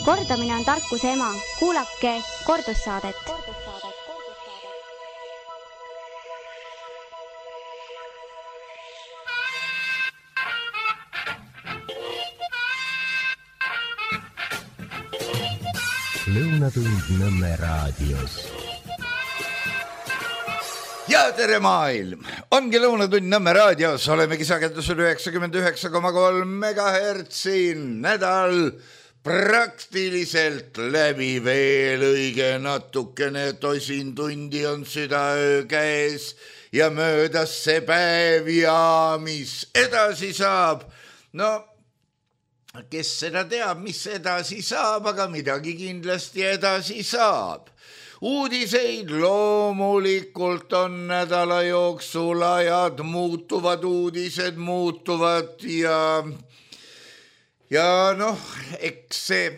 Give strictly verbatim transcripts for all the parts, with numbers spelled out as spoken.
Kordamine on tarkuse ema. Kuulake kordussaadet. Lõunatund Nõmme raadios. Ja tere maailm! Ongi Lõunatund Nõmme raadios. Olemegi sagedusel üheksakümmend üheksa koma kolm megahertsi. Nädal praktiliselt läbi, veel õige natukene tosin tundi on südaöö käes ja möödas see päev ja mis edasi saab? No, kes seda teab, mis edasi saab, aga midagi kindlasti edasi saab. Uudiseid loomulikult on nädala jooksul, ajad muutuvad, uudised muutuvad ja, ja noh, eks see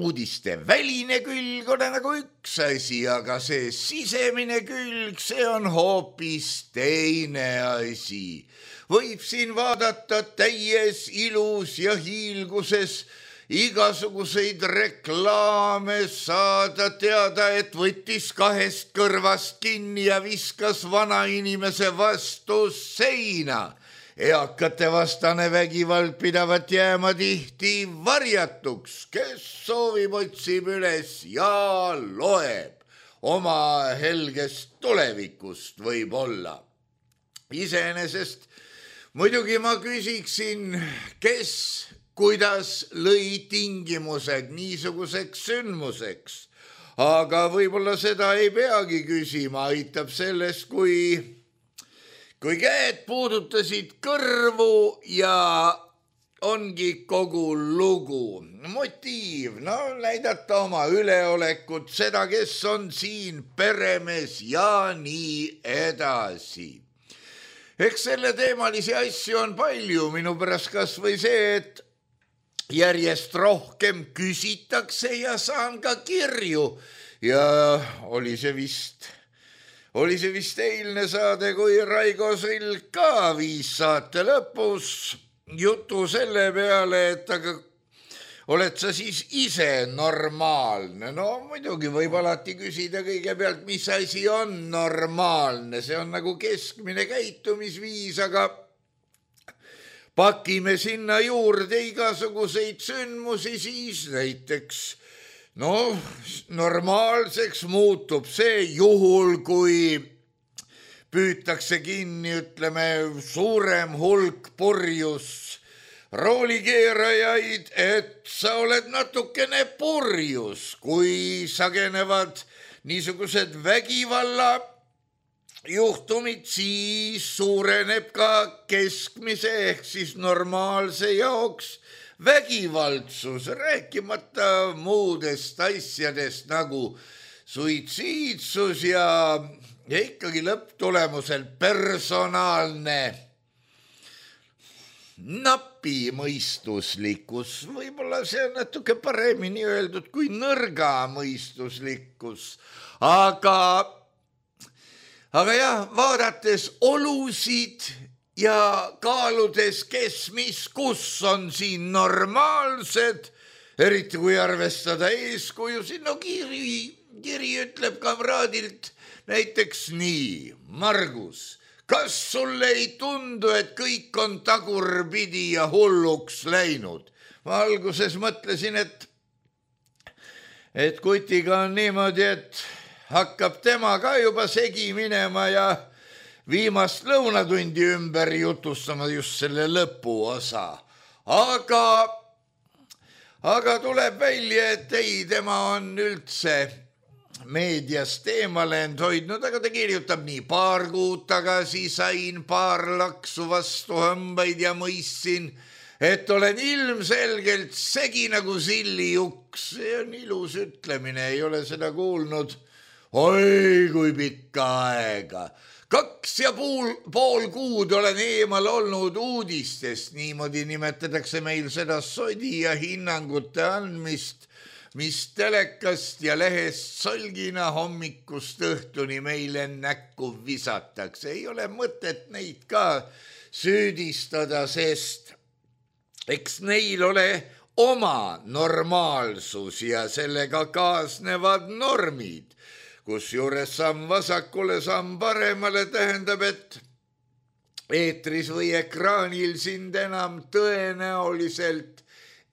uudiste väline külg on nagu üks asi, aga see sisemine külg, see on hoopis teine asi. Võib siin vaadata täies ilus ja hiilguses igasuguseid reklaame, saada teada, et võttis kahest kõrvast kinni ja viskas vanainimese vastu seina. Eakate vastane vägivald pidavat jääma tihti varjatuks, kes soovib, otsib üles ja loeb. Oma helgest tulevikust võib olla. Iseenesest muidugi ma küsiksin, kes kuidas lõi tingimused niisuguseks sündmuseks. Aga võib-olla seda ei peagi küsima, aitab sellest, kui, kui käed puudutasid kõrvu ja ongi kogu lugu. Motiiv, no näidata oma üleolekut, seda, kes on siin peremees ja nii edasi. Eks selle teemalisi asju on palju, minu pärast kas või see, et järjest rohkem küsitakse ja saan ka kirju ja oli see vist, oli see vist eilne saade, kui Raigo Silk ka viis saate lõpus jutu selle peale, et aga oled sa siis ise normaalne? No muidugi võib alati küsida kõigepealt, mis asi on normaalne, see on nagu keskmine käitumisviis, aga pakime sinna juurde igasuguseid sündmusi, siis näiteks, no normaalseks muutub see juhul, kui püütakse kinni, ütleme, suurem hulk purjus roolikeerajaid, et sa oled natukene purjus, kui sagenevad niisugused vägivalla juhtumid, siis suureneb ka keskmise ehk siis normaalse jaoks vägivaldsus, rääkimata muudest asjadest nagu suitsiidsus ja, ja ikkagi lõpptulemusel personaalne napimõistuslikkus. Võib-olla see on natuke paremini öeldud kui nõrga mõistuslikkus, aga Aga jah, vaadates olusid ja kaaludes, kes mis kus on siin normaalsed, eriti kui arvestada eeskujusid, no kiri, kiri ütleb kamraadilt näiteks nii: Margus, kas sulle ei tundu, et kõik on tagurpidi ja hulluks läinud? Ma alguses mõtlesin, et, et kutiga on niimoodi, et hakkab tema ka juba segi minema ja viimast lõunatundi ümber jutustama just selle lõpuosa. Aga, aga tuleb välja, et ei, tema on üldse meediast eemale hoidnud, aga ta kirjutab nii: paar kuud tagasi sain paar laksu vastu hambaid ja mõistsin, et olen ilmselgelt segi nagu sillijuks. See on ilus ütlemine, ei ole seda kuulnud. Oi, kui pikka aega. Kaks ja pool, pool kuud olen eemal olnud uudistest. Niimoodi nimetatakse meil seda sodi ja hinnangute andmist, mis telekast ja lehest solgina hommikust õhtuni meile näkku visatakse. Ei ole mõtet neid ka süüdistada, sest eks neil ole oma normaalsus ja sellega kaasnevad normid, kus juures samm vasakule, samm paremale tähendab, et eetris või ekraanil sind enam tõenäoliselt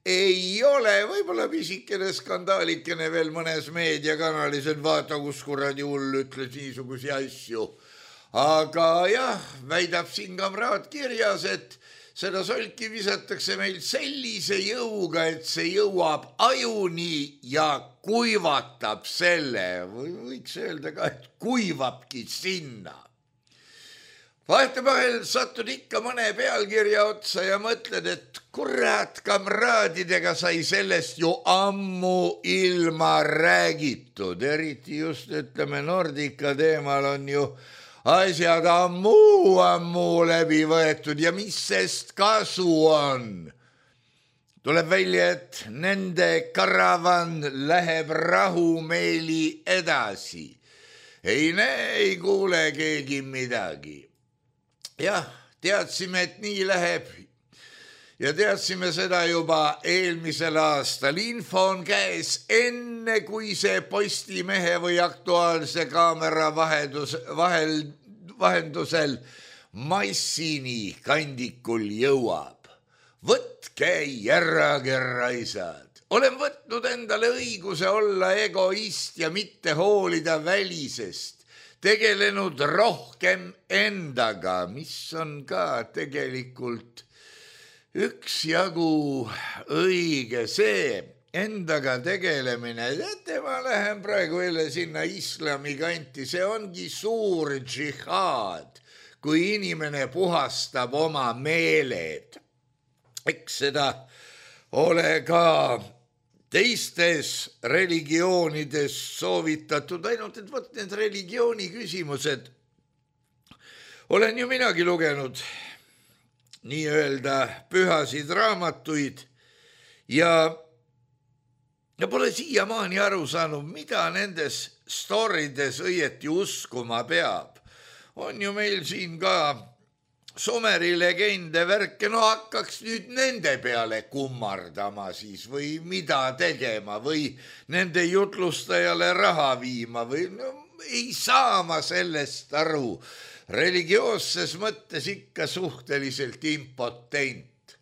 ei ole, võib-olla pisikene skandaalikene veel mõnes meediakanalis, et vaata, kus kuradi hull ütles niisugusi asju. Aga jah, väidab siin kamraad kirjas, et seda solki visatakse meil sellise jõuga, et see jõuab ajuni ja kuivatab selle, või võiks öelda ka, et kuivabki sinna. Vahetevahel satud ikka mõne pealkirja otsa ja mõtled, et kurat, kamraadidega sai sellest ju ammu ilma räägitud, eriti just ütleme Nordica teemal on ju asjad ammu, ammu läbi võetud ja mis sest kasu on? Tuleb välja, et nende karavan läheb rahumeeli edasi. Ei näe, ei kuule keegi midagi. Jah, teadsime, et nii läheb ja teadsime seda juba eelmisel aastal. Info on käes enne, kui see Postimehe või Aktuaalse kaamera vahendus, vahel, vahendusel massini kandikul jõuab. Võtke järrage raisad. Olen võtnud endale õiguse olla egoist ja mitte hoolida välisest. Tegelenud rohkem endaga, mis on ka tegelikult üksjagu õige see endaga tegelemine. Teate, ma lähen praegu jälle sinna islami kanti, see ongi suur džihaad, kui inimene puhastab oma meeled. Eks seda ole ka teistes religioonides soovitatud, ainult et võt need religiooni küsimused. Olen ju minagi lugenud nii-öelda pühasid raamatuid ja, ja pole siiamaani aru saanud, mida nendes storides õieti uskuma peab. On ju meil siin ka Someri legende värke, no hakkaks nüüd nende peale kummardama siis või mida tegema või nende jutlustajale raha viima või no, ei saa ma sellest aru. Religioosses mõttes ikka suhteliselt impotent.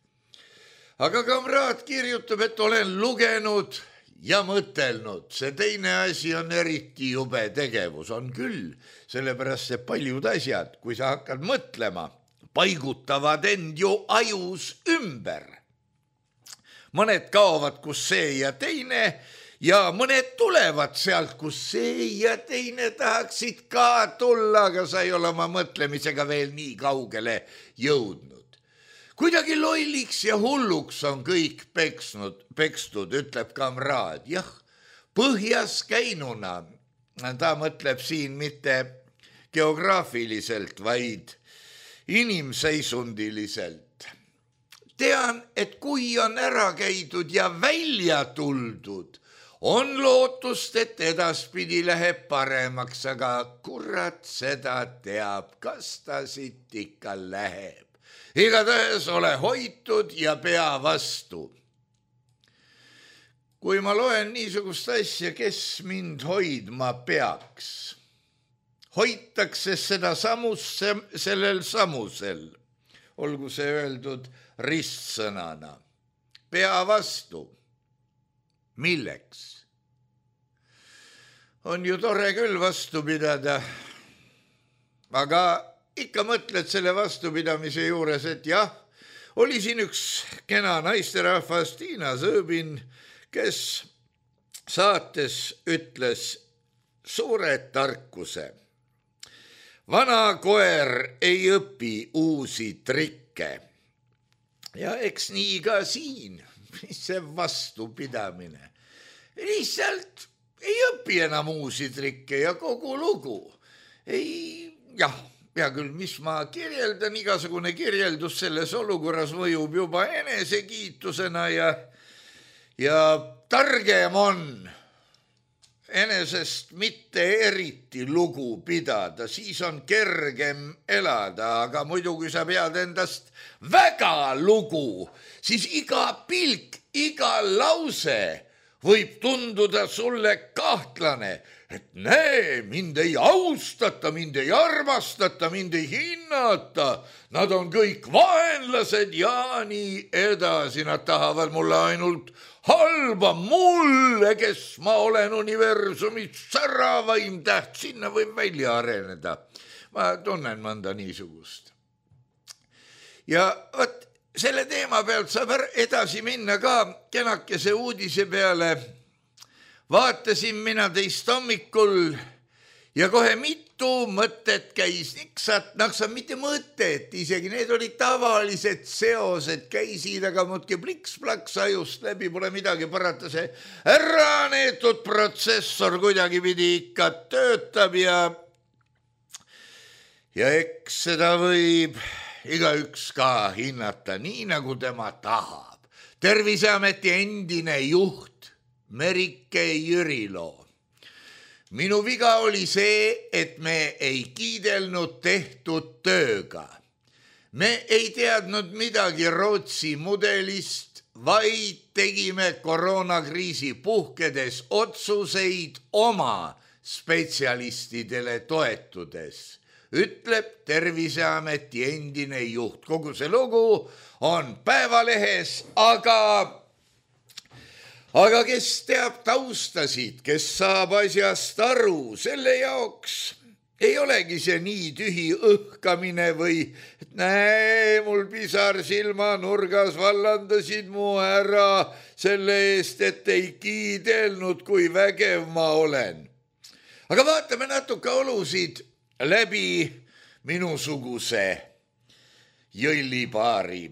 Aga kamraad kirjutab, et olen lugenud ja mõtelnud. See teine asi on eriti jube tegevus, on küll, sellepärast see paljud asjad, kui sa hakkad mõtlema, paigutavad end ju ajus ümber. Mõned kaovad, kus see ja teine ja mõned tulevad sealt, kus see ja teine tahaksid ka tulla, aga sa ei ole oma mõtlemisega veel nii kaugele jõudnud. Kuidagi lolliks ja hulluks on kõik peksnud, pekstud, ütleb kamraad. Jah, põhjas käinuna, ta mõtleb siin mitte geograafiliselt, vaid inimseisundiliselt. Tean, et kui on ära käidud ja välja tuldud, on lootust, et edaspidi läheb paremaks, aga kurat seda teab, kas ta siit ikka läheb. Igatahes ole hoitud ja pea vastu. Kui ma loen niisugust asja, kes mind hoidma peaks? Hoitakse seda samusse, sellel samusel, olgu see öeldud ristsõnana. Pea vastu. Milleks? On ju tore küll vastu pidada, aga ikka mõtled selle vastupidamise juures, et jah, oli siin üks kena naisterahvas Tiina Sõõbin, kes saates ütles suure tarkuse. Vana koer ei õpi uusi trikke. Ja eks nii ka siin, see vastupidamine. Lihtsalt ei õpi enam uusi trikke ja kogu lugu. Ei, jah, ja küll, mis ma kirjeldan, igasugune kirjeldus selles olukorras mõjub juba enesekiitusena ja, ja targem on enesest mitte eriti lugu pidada, siis on kergem elada, aga muidu kui sa pead endast väga lugu, siis iga pilk iga lause võib tunduda sulle kahtlane, et näe, mind ei austata, mind ei armastata, mind ei hinnata, nad on kõik vaenlased ja nii edasi, nad tahavad mulle ainult halba, mulle, kes ma olen universumis säravaim täht, sinna võib välja areneda. Ma tunnen mõnda niisugust. Ja võt, selle teema pealt saab edasi minna ka kenakese uudise peale. Vaatasin mina teist hommikul ja kohe mitu mõtet käis niksat, naksa mitte mõtet, isegi need olid tavalised seosed, käisid, aga muudki pliks-plaks ajust läbi, pole midagi parata, see ära neetud protsessor kuidagi pidi ikka töötab ja ja eks seda võib igaüks ka hinnata nii, nagu tema tahab. Terviseameti endine juht Merike Jürilo. Minu viga oli see, et me ei kiidelnud tehtud tööga. Me ei teadnud midagi Rootsi mudelist, vaid tegime koroonakriisi puhkedes otsuseid oma spetsialistidele toetudes, ütleb Terviseameti endine juht. Kogu see lugu on Päevalehes, aga Aga kes teab taustasid, kes saab asjast aru, selle jaoks ei olegi see nii tühi õhkamine või et näe, mul pisar silmanurgas vallandasid mu ära selle eest, et ei kiidelnud, kui vägev ma olen. Aga vaatame natuke olusid läbi minusuguse jõllipaari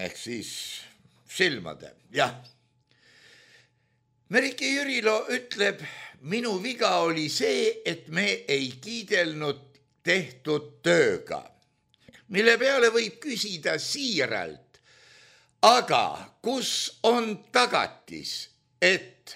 ehk siis silmade, jah. Merike Jürilo ütleb, minu viga oli see, et me ei kiidelnud tehtud tööga, mille peale võib küsida siiralt, aga kus on tagatis, et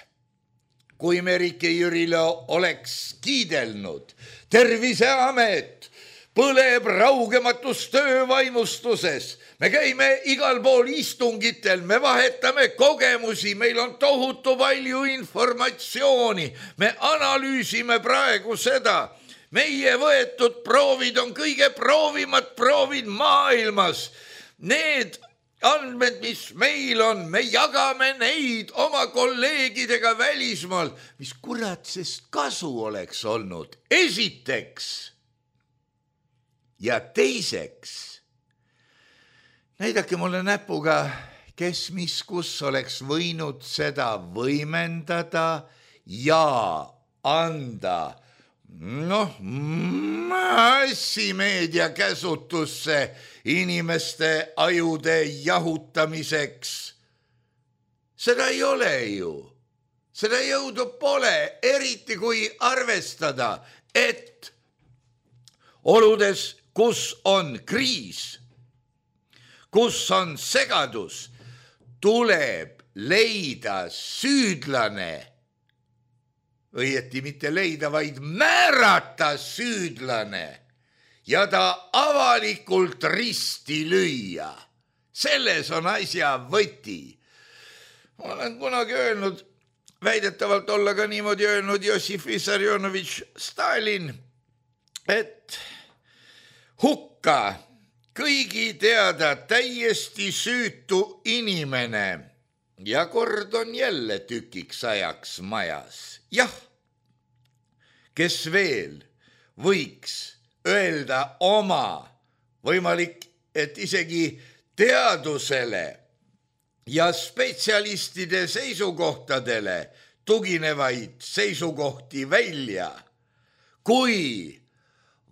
kui Merike Jürilo oleks kiidelnud, Terviseamet põleb raugematus töövaimustuses, me käime igal pool istungitel, me vahetame kogemusi, meil on tohutu palju informatsiooni, me analüüsime praegu seda. Meie võetud proovid on kõige proovimad proovid maailmas. Need andmed, mis meil on, me jagame neid oma kolleegidega välismaal. Mis kurat sest kasu oleks olnud? Esiteks ja teiseks, näidake mulle näpuga, kes mis kus oleks võinud seda võimendada ja anda noh, massimeedia käsutusse inimeste ajude jahutamiseks. Seda ei ole ju. Seda jõudu pole, eriti kui arvestada, et oludes, kus on kriis, kus on segadus, tuleb leida süüdlane, õieti mitte leida, vaid määrata süüdlane ja ta avalikult risti lüüa. Selles on asja võti. Ma olen kunagi öelnud, väidetavalt olla ka niimoodi öelnud Jossif Vissarionovitš Stalin, et hukka kõigi teada täiesti süütu inimene ja kord on jälle tükiks ajaks majas. Jah, kes veel võiks öelda oma, võimalik, et isegi teadusele ja spetsialistide seisukohtadele tuginevaid seisukohti välja, kui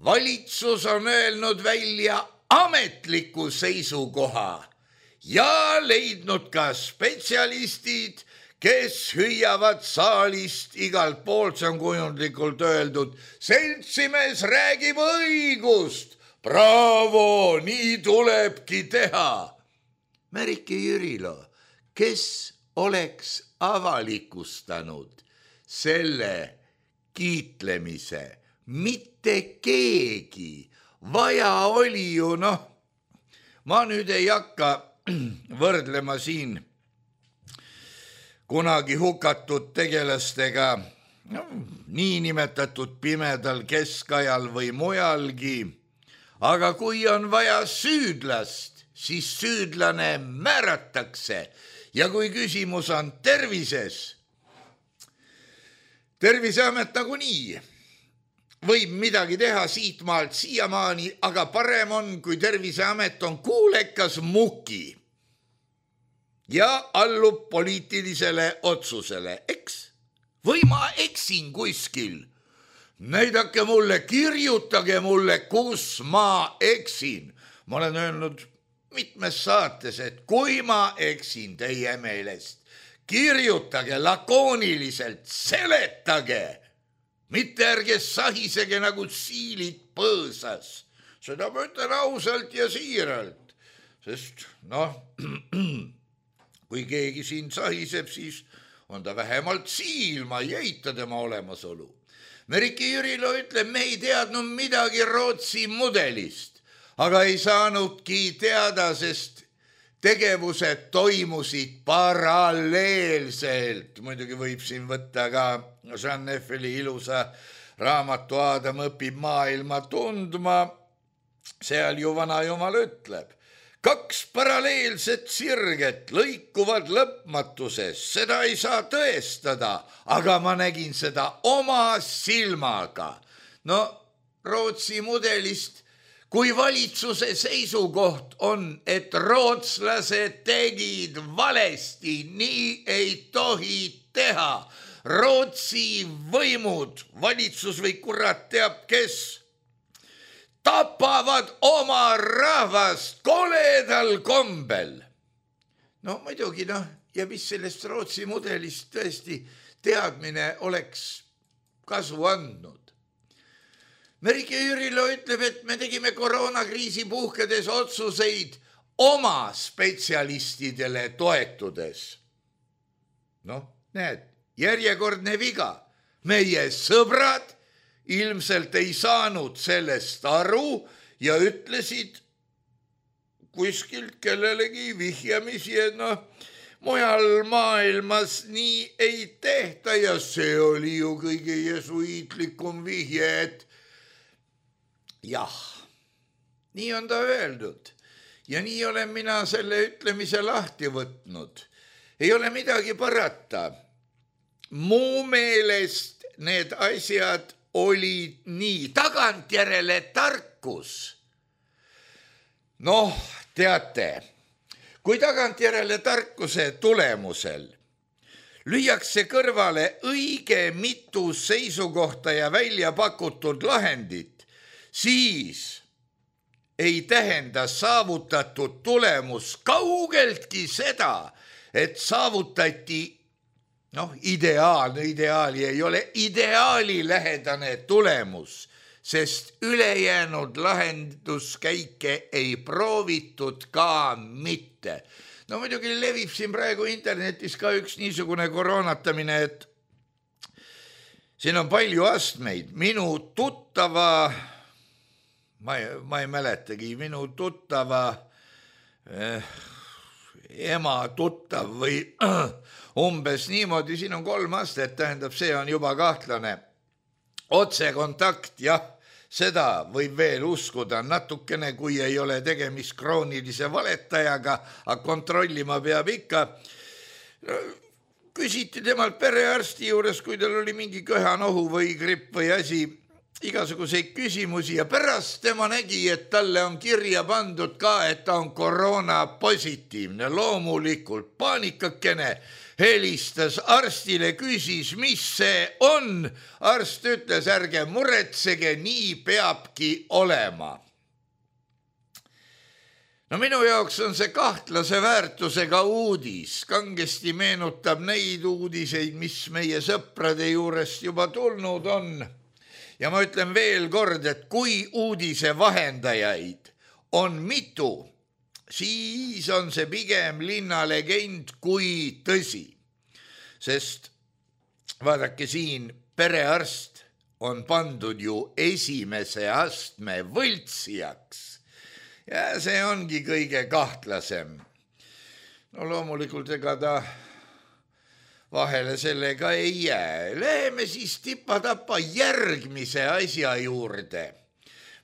valitsus on öelnud välja ametliku seisukoha ja leidnud ka spetsialistid, kes hüüavad saalist igalt poolt, see on kujundlikult öeldud, seltsimees räägib õigust, bravo, nii tulebki teha. Merike Jürilo, kes oleks avalikustanud selle kiitlemise? Mitte keegi, vaja oli ju, noh, ma nüüd ei hakka võrdlema siin kunagi hukatud tegelastega no, niinimetatud pimedal keskajal või mujalgi, aga kui on vaja süüdlast, siis süüdlane määratakse ja kui küsimus on tervises, Terviseamet nagunii võib midagi teha siitmaalt siiamaani, aga parem on, kui Terviseamet on kuulekas muki ja allub poliitilisele otsusele, eks? Või ma eksin kuskil? Näidake mulle, kirjutage mulle, kus ma eksin. Ma olen öelnud mitmes saates, et kui ma eksin teie meelest, kirjutage lakooniliselt, seletage, mitte ärge sahisege nagu siilid põõsas. Seda ma ütlen ausalt ja siiralt, sest noh, kui keegi siin sahiseb, siis on ta vähemalt siil, ma ei eita tema olemasolu. Merike Jürilo ütleb, me ei teadnud midagi Rootsi mudelist, aga ei saanudki teada, sest tegevused toimusid paralleelselt. Muidugi võib siin võtta ka Jean Neffeli ilusa raamatu Aadam õpib maailma tundma. Seal ju vana jumal ütleb, kaks paralleelset sirget lõikuvad lõpmatuses, seda ei saa tõestada, aga ma nägin seda oma silmaga. No Rootsi mudelist, kui valitsuse seisukoht on, et rootslased tegid valesti, nii ei tohi teha. Rootsi võimud, valitsus või kurat teab kes, tapavad oma rahvast koledal kombel. No muidugi, noh, ja mis sellest Rootsi mudelist tõesti teadmine oleks kasu andnud. Merike Jürilo ütleb, et me tegime koroonakriisi puhkedes otsuseid oma spetsialistidele toetudes. Noh, näed, järjekordne viga. Meie sõbrad ilmselt ei saanud sellest aru ja ütlesid kuskilt kellelegi vihjamisi, et noh, mujal maailmas nii ei tehta ja see oli ju kõige jesuiitlikum vihje, et jah, nii on ta öeldud ja nii olen mina selle ütlemise lahti võtnud. Ei ole midagi parata. Mu meelest need asjad olid nii. Tagantjärele tarkus. Noh, teate, kui tagantjärele tarkuse tulemusel lüüakse kõrvale õige mitu seisukohta ja välja pakutud lahendit, siis ei tähenda saavutatud tulemus kaugeltki seda, et saavutati, noh, ideaalne, ideaali ei ole ideaali lähedane tulemus, sest ülejäänud lahenduskäike ei proovitud ka mitte. No muidugi levib siin praegu internetis ka üks niisugune koroonatamine, et siin on palju astmeid. Minu tuttava Ma ei, ma ei mäletagi, minu tuttava eh, ema tuttav või äh, umbes niimoodi, siin on kolm astet, tähendab, see on juba kahtlane. Otsekontakt, jah, seda võib veel uskuda natukene, kui ei ole tegemist kroonilise valetajaga, aga kontrollima peab ikka. Küsiti temalt perearsti juures, kui tal oli mingi köhanohu või gripp või asi, igasuguseid küsimusi ja pärast tema nägi, et talle on kirja pandud ka, et ta on koroona positiivne. Loomulikult paanikakene helistas arstile, küsis, mis see on. Arst ütles, ärge muretsege, nii peabki olema. No minu jaoks on see kahtlase väärtusega uudis. Kangesti meenutab neid uudiseid, mis meie sõprade juurest juba tulnud on. Ja ma ütlen veel kord, et kui uudise vahendajaid on mitu, siis on see pigem linnalegend kui tõsi. Sest vaadake siin, perearst on pandud ju esimese astme võltsijaks. Ja see ongi kõige kahtlasem. No loomulikult ega ta vahele sellega ei jää. Läheme siis tipa-tapa järgmise asja juurde,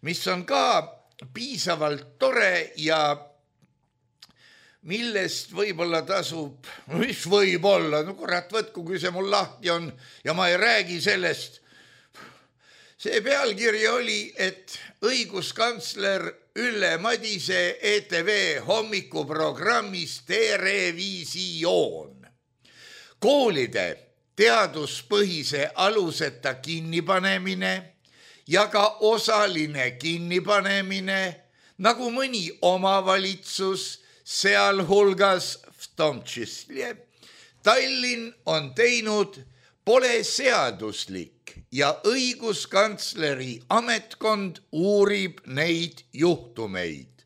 mis on ka piisavalt tore ja millest võib-olla tasub, mis võib olla, no kurat võtku, kui see mul lahti on ja ma ei räägi sellest. See pealkiri oli, et õiguskantsler Ülle Madise E T V hommikuprogrammis Terevisioon. Koolide teaduspõhise aluseta kinnipanemine ja ka osaline kinnipanemine, nagu mõni omavalitsus, sealhulgas v tom čísle Tallinn on teinud, pole seaduslik ja õiguskantsleri ametkond uurib neid juhtumeid.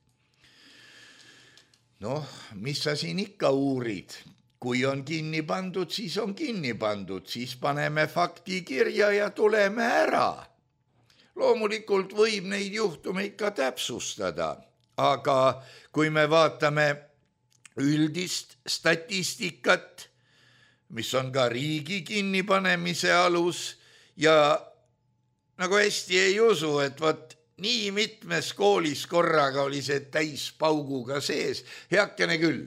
Noh, mis sa siin ikka uurid? Kui on kinni pandud, siis on kinni pandud, siis paneme fakti kirja ja tuleme ära. Loomulikult võib neid juhtumeid ka täpsustada, aga kui me vaatame üldist statistikat, mis on ka riigi kinnipanemise alus ja nagu hästi ei usu, et võt nii mitmes koolis korraga oli see täis pauguga sees, heakene küll.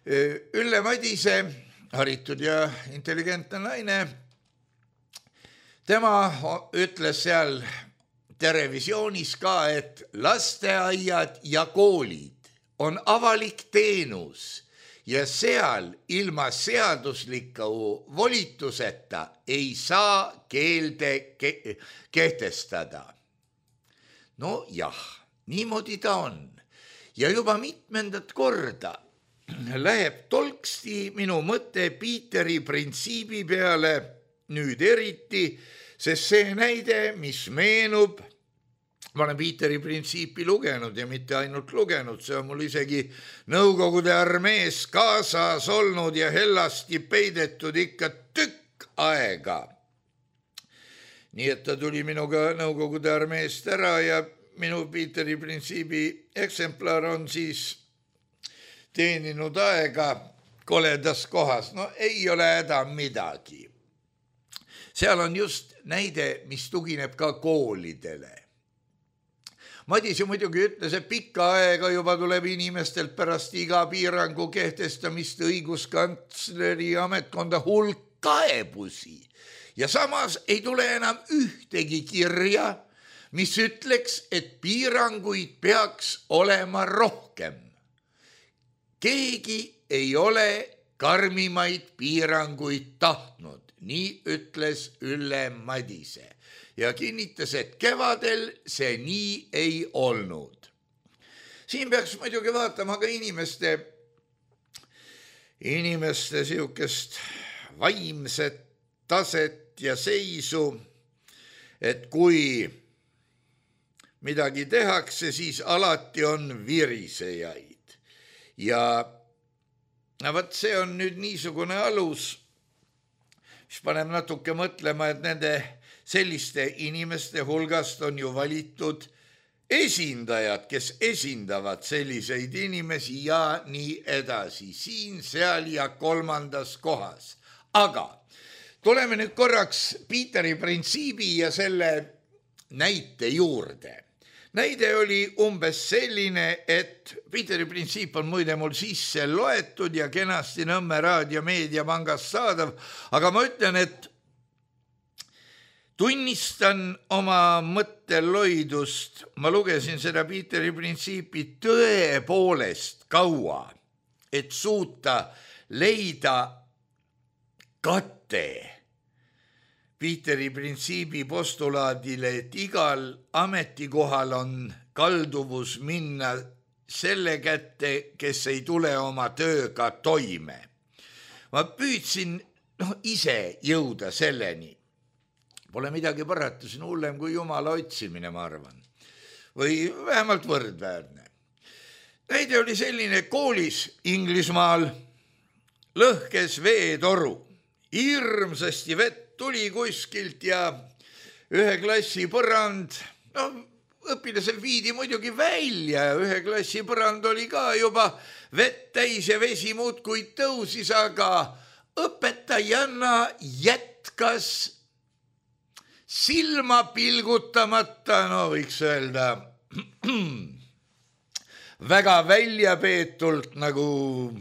Ülle Madise, haritud ja intelligentne naine, tema ütles seal Terevisioonis ka, et lasteaiad ja koolid on avalik teenus ja seal ilma seadusliku volituseta ei saa keelde ke- kehtestada. No jah, niimoodi ta on. Ja juba mitmendat korda läheb tolksti minu mõte Piiteri printsiibi peale nüüd eriti, sest see näide, mis meenub, ma olen Piiteri printsiipi lugenud ja mitte ainult lugenud, see on mul isegi Nõukogude armees kaasas olnud ja hellasti peidetud ikka tükk aega. Nii et ta tuli minuga Nõukogude armeest ära ja minu Piiteri printsiibi eksemplar on siis teeninud aega koledas kohas. No ei ole häda midagi. Seal on just näide, mis tugineb ka koolidele. Madise muidugi ütles, et pikka aega juba tuleb inimestelt pärast iga piirangu kehtestamist õiguskantsleri ametkonda hulk kaebusi ja samas ei tule enam ühtegi kirja, mis ütleks, et piiranguid peaks olema rohkem. Keegi ei ole karmimaid piiranguid tahtnud, nii ütles Ülle Madise. Ja kinnitas, et kevadel see nii ei olnud. Siin peaks muidugi vaatama ka inimeste, inimeste siukest vaimset taset ja seisu, et kui midagi tehakse, siis alati on virisejaid. Ja võt see on nüüd niisugune alus, mis paneb natuke mõtlema, et nende selliste inimeste hulgast on ju valitud esindajad, kes esindavad selliseid inimesi ja nii edasi, siin, seal ja kolmandas kohas. Aga tuleme nüüd korraks Piiteri printsiibi ja selle näite juurde. Näide oli umbes selline, et Piiteri printsiip on muide mul sisse loetud ja kenasti Nõmme Raadio Meediapangas saadav, aga ma ütlen, et tunnistan oma mõtteloidust, ma lugesin seda Piiteri printsiipi tõepoolest kaua, et suuta leida katte Piiteri printsiibi postulaadile, et igal ametikohal on kalduvus minna selle kätte, kes ei tule oma tööga toime. Ma püüdsin no, ise jõuda selleni. Pole midagi parata, see on hullem kui Jumala otsimine, ma arvan. Või vähemalt võrdväärne. Näide oli selline koolis Inglismaal lõhkes veetoru. Hirmsasti vett tuli kuskilt ja ühe klassi põrand, no õpilasel viidi muidugi välja ja ühe klassi põrand oli ka juba vett täis ja vesi muudkui tõusis, aga, õpetajanna jätkas silma pilgutamata, no võiks öelda, väga väljapeetult nagu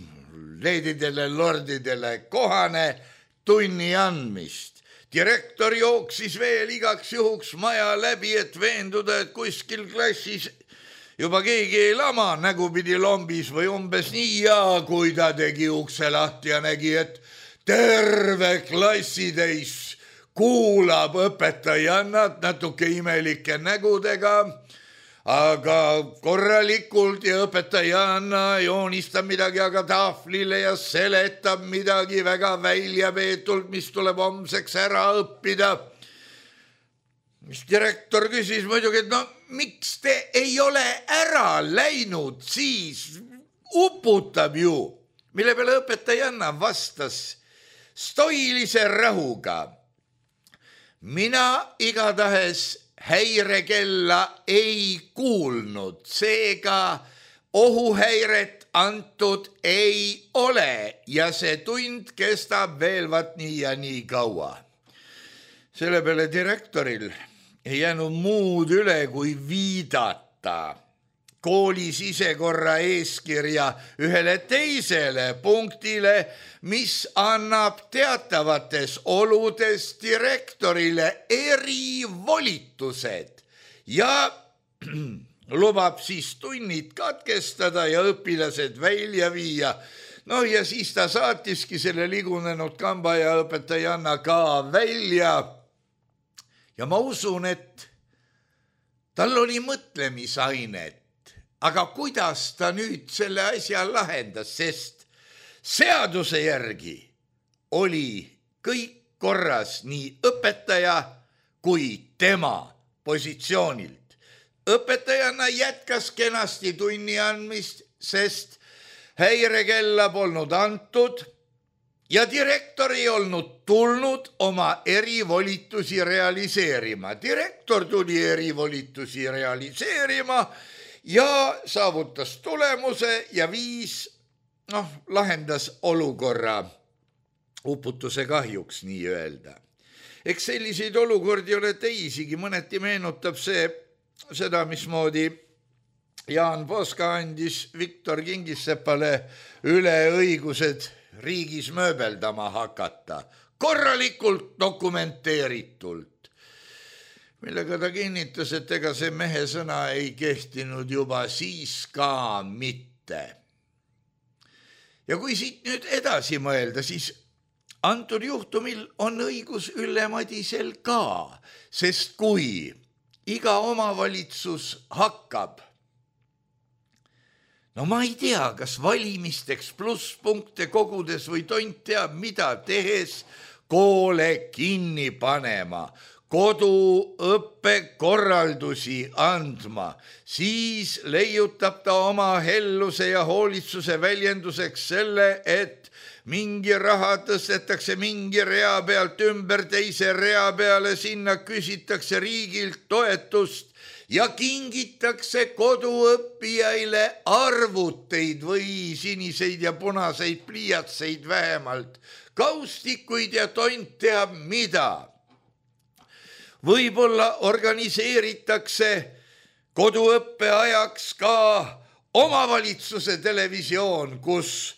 leedidele, lordidele kohane tunni andmist. Direktor jooksis veel igaks juhuks maja läbi, et veenduda, et kuskil klassis juba keegi ei lama nägupidi lombis või umbes nii, ja kui ta tegi ukse lahti ja nägi, et terve klassitäis kuulab õpetajannat natuke imelike nägudega, aga korralikult ja õpetajanna joonistab midagi aga tahvlile ja seletab midagi väga väljapeetult, mis tuleb homseks ära õppida. Mis direktor küsis muidugi, et no miks te ei ole ära läinud, siis uputab ju, mille peale õpetajanna vastas stoilise rahuga. Mina igatahes häirekella ei kuulnud, seega ohuhäiret antud ei ole ja see tund kestab veel vat nii ja nii kaua. Selle peale direktoril ei jäänud muud üle kui viidata kooli sisekorra eeskirja ühele teisele punktile, mis annab teatavates oludes direktorile erivolitused ja lubab siis tunnid katkestada ja õpilased välja viia. No ja siis ta saatiski selle ligunenud kamba ja õpetajanna ka välja. Ja ma usun, et tal oli mõtlemisainet, aga kuidas ta nüüd selle asja lahendas, sest seaduse järgi oli kõik korras nii õpetaja kui tema positsioonilt. Õpetajana jätkas kenasti tunni andmist, sest häirekella polnud antud ja direktor ei olnud tulnud oma erivolitusi realiseerima. Direktor tuli erivolitusi realiseerima ja saavutas tulemuse ja viis, noh, lahendas olukorra uputuse kahjuks nii öelda. Eks selliseid olukordi ole teisigi, mõneti meenutab see seda, mismoodi Jaan Poska andis Viktor Kingissepale üle õigused riigis mööbeldama hakata, korralikult dokumenteeritult, millega ta kinnitas, et ega see mehe sõna ei kehtinud juba siis ka mitte. Ja kui siit nüüd edasi mõelda, siis antud juhtumil on õigus Ülle Madisel ka, sest kui iga omavalitsus hakkab, no ma ei tea, kas valimisteks plusspunkte kogudes või tont teab mida tehes koole kinni panema, koduõppekorraldusi andma, siis leiutab ta oma helluse ja hoolitsuse väljenduseks selle, et mingi raha tõstetakse mingi rea pealt ümber teise rea peale, sinna küsitakse riigilt toetust ja kingitakse koduõppijaile arvuteid või siniseid ja punaseid pliiatseid vähemalt, kaustikuid ja tont teab mida. Võib-olla organiseeritakse koduõppe ajaks ka omavalitsuse televisioon, kus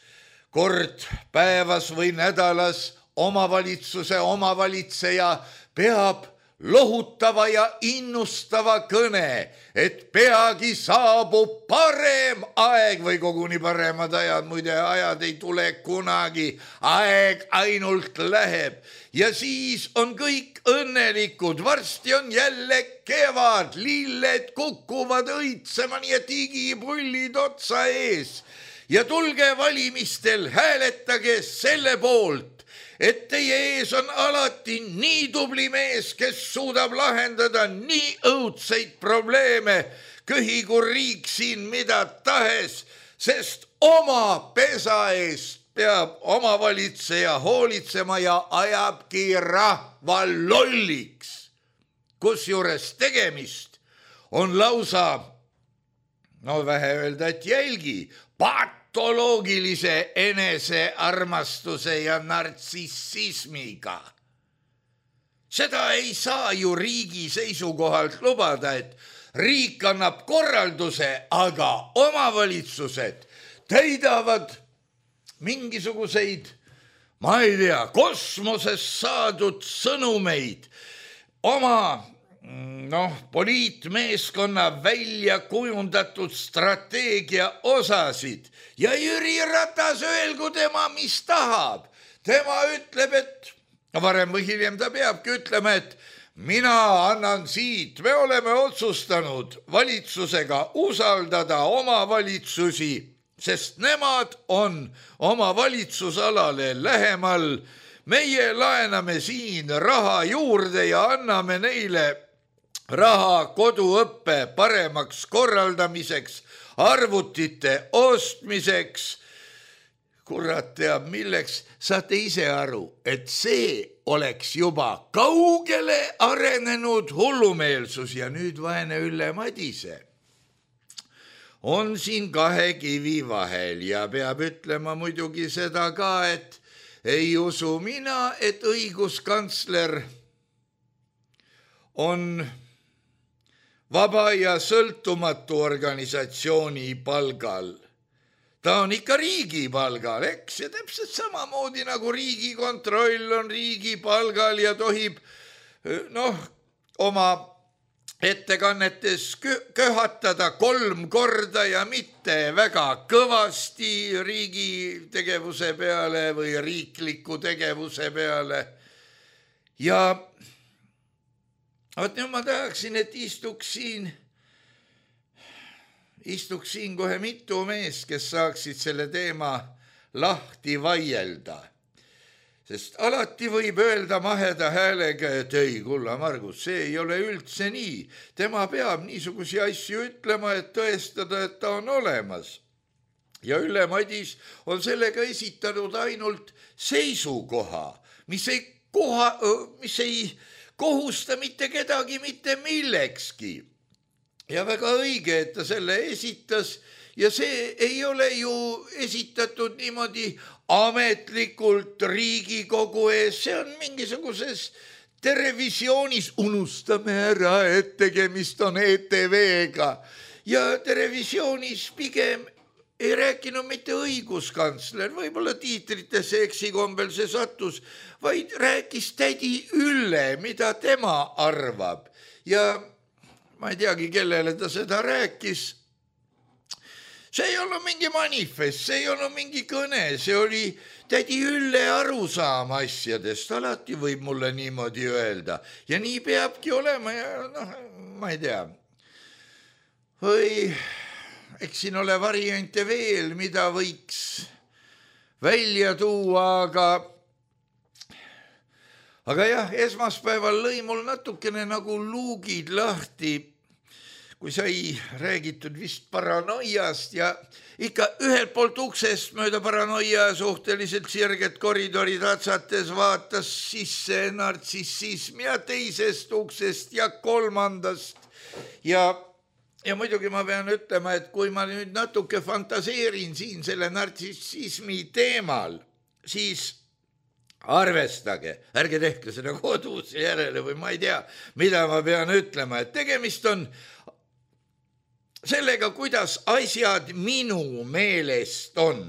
kord päevas või nädalas omavalitsuse omavalitseja peab lohutava ja innustava kõne, et peagi saabub parem aeg või koguni paremad ajad, muide ajad ei tule kunagi, aeg ainult läheb ja siis on kõik õnnelikud, varsti on jälle kevad, lilled kukuvad õitsema, nii et igipullid otsa ees ja tulge valimistel, hääletage selle poolt, et teie ees on alati nii tubli mees, kes suudab lahendada nii õudseid probleeme, köhigu riik siin mida tahes, sest oma pesa eest peab omavalitseja hoolitsema ja ajabki rahva lolliks. Kusjuures tegemist on lausa, no vähe öelda, et jälgi, pat patoloogilise enesearmastuse ja nartsissismiga. Seda ei saa ju riigi seisukohalt lubada, et riik annab korralduse, aga omavalitsused täidavad mingisuguseid, ma ei tea, kosmosest saadud sõnumeid, oma noh, poliitmeeskonna välja kujundatud strateegia osasid ja Jüri Ratas öelgu tema, mis tahab. Tema ütleb, et varem või hiljem ta peabki ütlema, et mina annan siit, me oleme otsustanud valitsusega usaldada omavalitsusi, sest nemad on oma valitsusalale lähemal. Meie laename siin raha juurde ja anname neile raha koduõppe paremaks korraldamiseks, arvutite ostmiseks. Kurat teab milleks, saate ise aru, et see oleks juba kaugele arenenud hullumeelsus ja nüüd vaene Ülle Madise on siin kahe kivi vahel ja peab ütlema muidugi seda ka, et ei usu mina, et õiguskantsler on vaba ja sõltumatu organisatsiooni palgal. Ta on ikka riigi palgal, eks, ja täpselt samamoodi nagu Riigikontroll on riigi palgal ja tohib noh, oma ettekannetes köhatada kolm korda ja mitte väga kõvasti riigi tegevuse peale või riikliku tegevuse peale. Ja vot nüüd ma tahaksin, et istuks siin, istuks siin kohe mitu meest, kes saaksid selle teema lahti vaielda. Sest alati võib öelda maheda häälega, et ei, kulla Margus, see ei ole üldse nii. Tema peab niisugusi asju ütlema, et tõestada, et ta on olemas. Ja Ülle Madis on sellega esitanud ainult seisukoha, mis ei, koha, mis ei kohusta mitte kedagi mitte millekski. Ja väga õige, et ta selle esitas ja see ei ole ju esitatud niimoodi ametlikult Riigikogu ees, see on mingisuguses televisioonis, unustame ära, et tegemist on E T V-ga ja televisioonis pigem ei rääkinud mitte õiguskantsler, võib-olla tiitritesse eksikombel see sattus, vaid rääkis tädi Ülle, mida tema arvab ja ma ei teagi, kellele ta seda rääkis. See ei olnud mingi manifest, see ei olnud mingi kõne, see oli tädi Ülle arusaam asjadest, alati võib mulle niimoodi öelda ja nii peabki olema ja noh, ma ei tea. Või eks siin ole variante veel, mida võiks välja tuua, aga aga jah, esmaspäeval lõi mul natukene nagu luugid lahti, kui sai räägitud vist paranoiast ja ikka ühelt poolt uksest mööda paranoia suhteliselt sirget koridori tatsates vaatas sisse nartsissism ja teisest uksest ja kolmandast. Ja, ja muidugi ma pean ütlema, et kui ma nüüd natuke fantaseerin siin selle nartsissismi teemal, siis arvestage, ärge tehke seda kodus järele või ma ei tea, mida ma pean ütlema, et tegemist on sellega, kuidas asjad minu meelest on.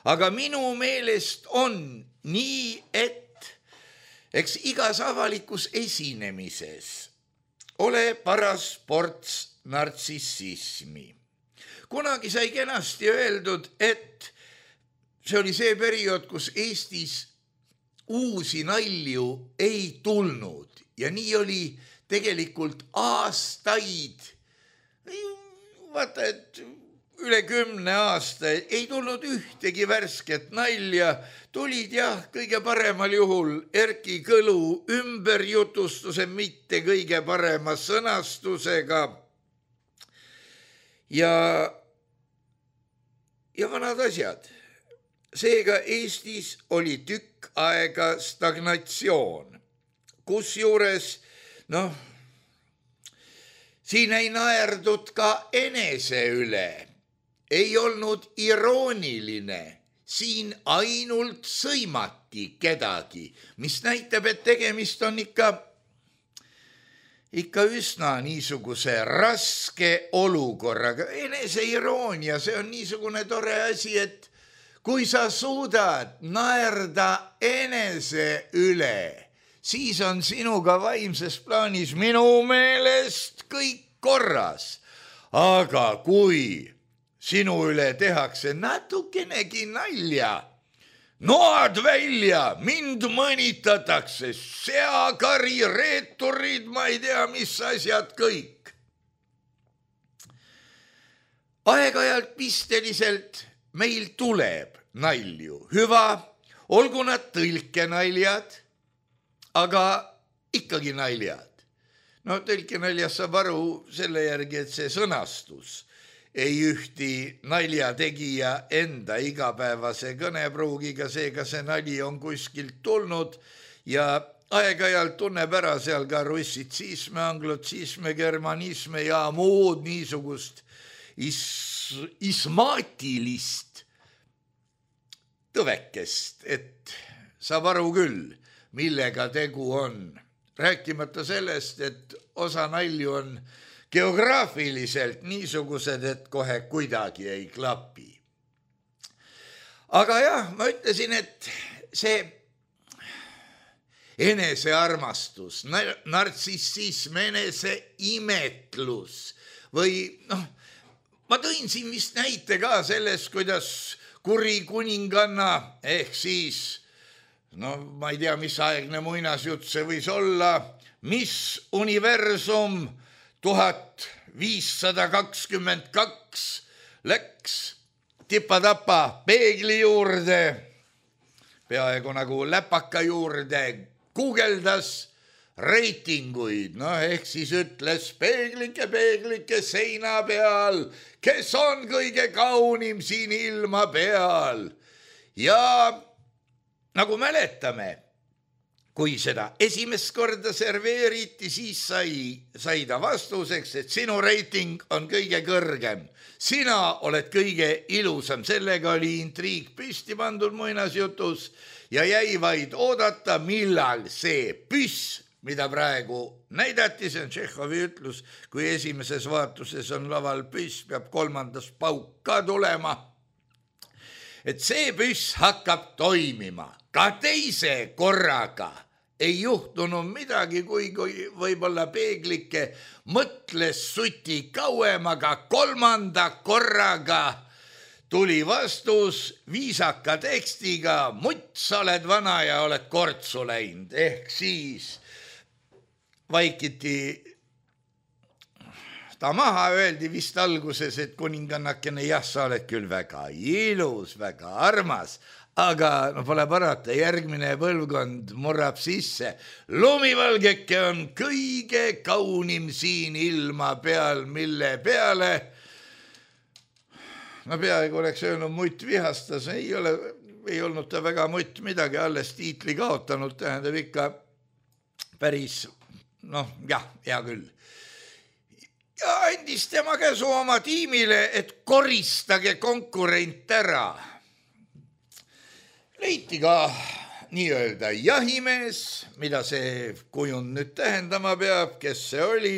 Aga minu meelest on nii, et eks igas avalikus esinemises ole paras ports nartsissismi. Kunagi sai kenasti öeldud, et see oli see periood, kus Eestis uusi nalju ei tulnud ja nii oli tegelikult aastaid. Vaata, et üle kümne aasta ei tulnud ühtegi värsket nalja, tulid jah, kõige paremal juhul Erki Kõlu ümberjutustuse mitte kõige parema sõnastusega ja, ja vanad asjad. Seega Eestis oli tükk aega stagnatsioon, kusjuures, noh, siin ei naerdud ka enese üle. ei olnud irooniline, siin ainult sõimati kedagi, mis näitab, et tegemist on ikka, ikka üsna niisuguse raske olukorraga. Eneseiroonia, see on niisugune tore asi, et kui sa suudad naerda enese üle, siis on sinuga vaimses plaanis minu meelest kõik korras. Aga kui sinu üle tehakse natukenegi nalja, noad välja, mind mõnitatakse, seakari, reeturid, ma ei tea, mis asjad kõik. Aeg-ajalt pisteliselt meil tuleb nalju, hüva, olgu nad tõlkenaljad, aga ikkagi naljad. No tõlkenaljas saab aru selle järgi, et see sõnastus ei ühti naljategija enda igapäevase kõnepruugiga, seega see nali on kuskilt tulnud ja aeg-ajalt tunneb ära seal ka russitsisme, anglotsisme, germanisme ja muud niisugust is- ismaatilist tõvekest, et saab aru küll, millega tegu on. Rääkimata sellest, et osa nalju on geograafiliselt niisugused, et kohe kuidagi ei klapi. Aga jah, ma ütlesin, et see enesearmastus, nartsissism, eneseimetlus või noh, ma tõin siin vist näite ka sellest, kuidas kuri kuninganna ehk siis no ma ei tea, mis aegne muinasjutt see võis olla, mis universum tuhat viissada kakskümmend kaks läks tipa-tapa peegli juurde, peaaegu nagu läpaka juurde, guugeldas reitinguid, no ehk siis ütles peeglike, peeglike seina peal, kes on kõige kaunim siin ilma peal ja nagu mäletame, kui seda esimest korda serveeriti, siis sai, sai ta vastuseks, et sinu reiting on kõige kõrgem. Sina oled kõige ilusam. Sellega oli intriig püsti pandud muinasjutus ja jäi vaid oodata, millal see püss, mida praegu näidati, see on Tšehhovi ütlus, kui esimeses vaatuses on laval püss, peab kolmandas pauk ka tulema. Et see püss hakkab toimima. Ka teise korraga ei juhtunud midagi, kui, kui võib-olla peeglike mõtles suti kauem, aga kolmanda korraga tuli vastus viisaka tekstiga, mutt, sa oled vana ja oled kortsu läinud, ehk siis vaikiti ta maha, öeldi vist alguses, et kuningannakene, jah, sa oled küll väga ilus, väga armas, aga no pole parata, järgmine põlvkond murrab sisse. Lumivalgeke on kõige kaunim siin ilma peal, mille peale, no peaaegu oleks öelnud mutt vihastas, ei ole, ei olnud ta väga mutt midagi, alles tiitli kaotanud, tähendab ikka päris, noh jah, hea küll. Ja andis tema käsu oma tiimile, et koristage konkurent ära. Leiti ka nii-öelda jahimees, mida see kujund nüüd tähendama peab, kes see oli,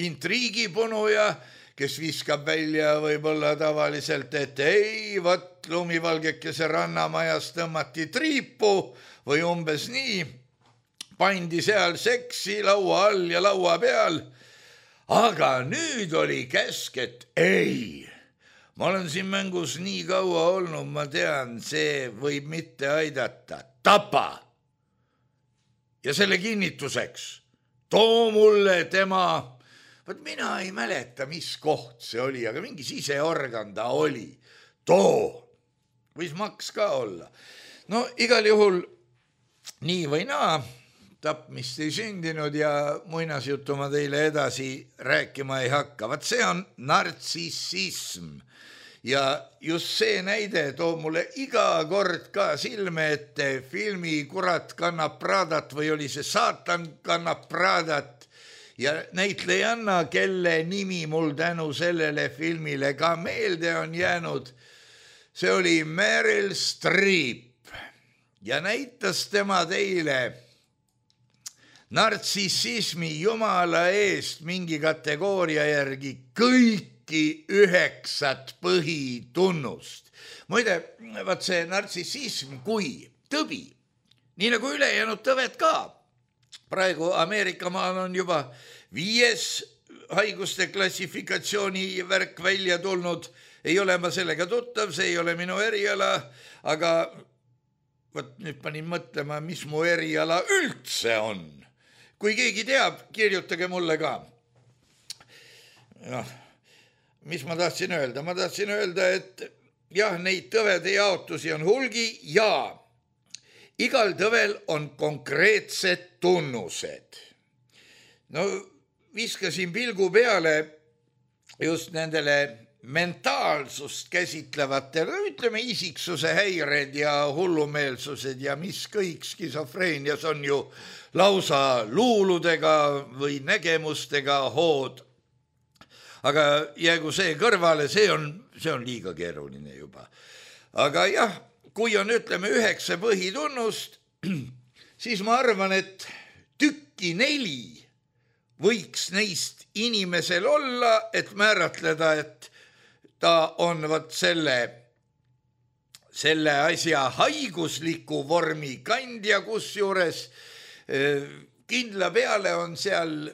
intriigipunuja, kes viskab välja võib-olla tavaliselt, et ei, võt lumivalgekese rannamajas tõmmati triipu või umbes nii, pandi seal seksi laua all ja laua peal, aga nüüd oli käsk, et ei, ma olen siin mängus nii kaua olnud, ma tean, see võib mitte aidata. Tapa! Ja selle kinnituseks, too mulle tema, võt mina ei mäleta, mis koht see oli, aga mingi siseorgan ta oli. Too! Võis maks ka olla. No igal juhul nii või naa, tapmist ei sündinud ja muinasjutu ma teile edasi rääkima ei hakka. Vaat see on nartsissism. Ja just see näide toob mulle iga kord ka silme ette filmi Kurat kannab Pradat või oli see Saatan kannab Pradat ja näitlejanna, kelle nimi mul tänu sellele filmile ka meelde on jäänud, see oli Meryl Streep ja näitas tema teile nartsissismi jumala eest mingi kategooria järgi kõiki üheksat põhitunnust. Muide, vaat see nartsissism kui tõbi, nii nagu ülejäänud tõved ka. Praegu Ameerika maal on juba viies haiguste klassifikatsiooni värk välja tulnud. Ei ole ma sellega tuttav, see ei ole minu eriala, aga võt, nüüd panin mõtlema, mis mu eriala üldse on. Kui keegi teab, kirjutage mulle ka. Noh, mis ma tahtsin öelda? Ma tahtsin öelda, et jah, neid tõvede jaotusi on hulgi ja igal tõvel on konkreetsed tunnused. No viskasin pilgu peale just nendele mentaalsust käsitlevatele, ütleme isiksuse häired ja hullumeelsused ja mis kõik skisofreenias on ju lausa luuludega või nägemustega hood. Aga jäägu see kõrvale, see on, see on liiga keeruline juba. Aga jah, kui on ütleme üheksa põhitunnust, siis ma arvan, et tükki neli võiks neist inimesel olla, et määratleda, et ta on võt selle, selle asja haigusliku vormi kandja, kus juures kindla peale on seal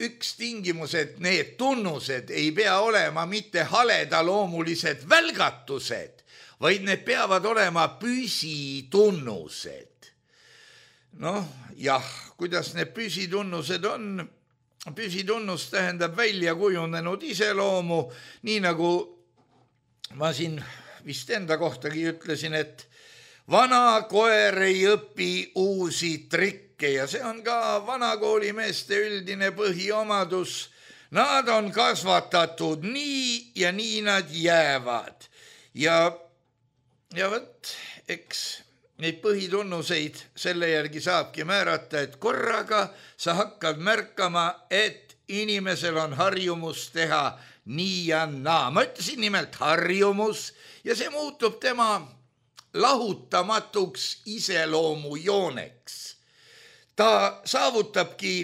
üks tingimus, et need tunnused ei pea olema mitte haledaloomulised välgatused, vaid need peavad olema püsitunnused. Noh, jah, kuidas need püsitunnused on? Püsitunnus tähendab välja kujunenud iseloomu, nii nagu ma siin vist enda kohtagi ütlesin, et vana koer ei õpi uusi trikke ja see on ka vanakoolimeeste üldine põhiomadus. Nad on kasvatatud nii ja nii nad jäävad. Ja, ja võt, eks neid põhitunnuseid selle järgi saabki määrata, et korraga sa hakkad märkama, et inimesel on harjumus teha nii ja naa. Ma ütlesin nimelt harjumus ja see muutub tema lahutamatuks iseloomujooneks. Ta saavutabki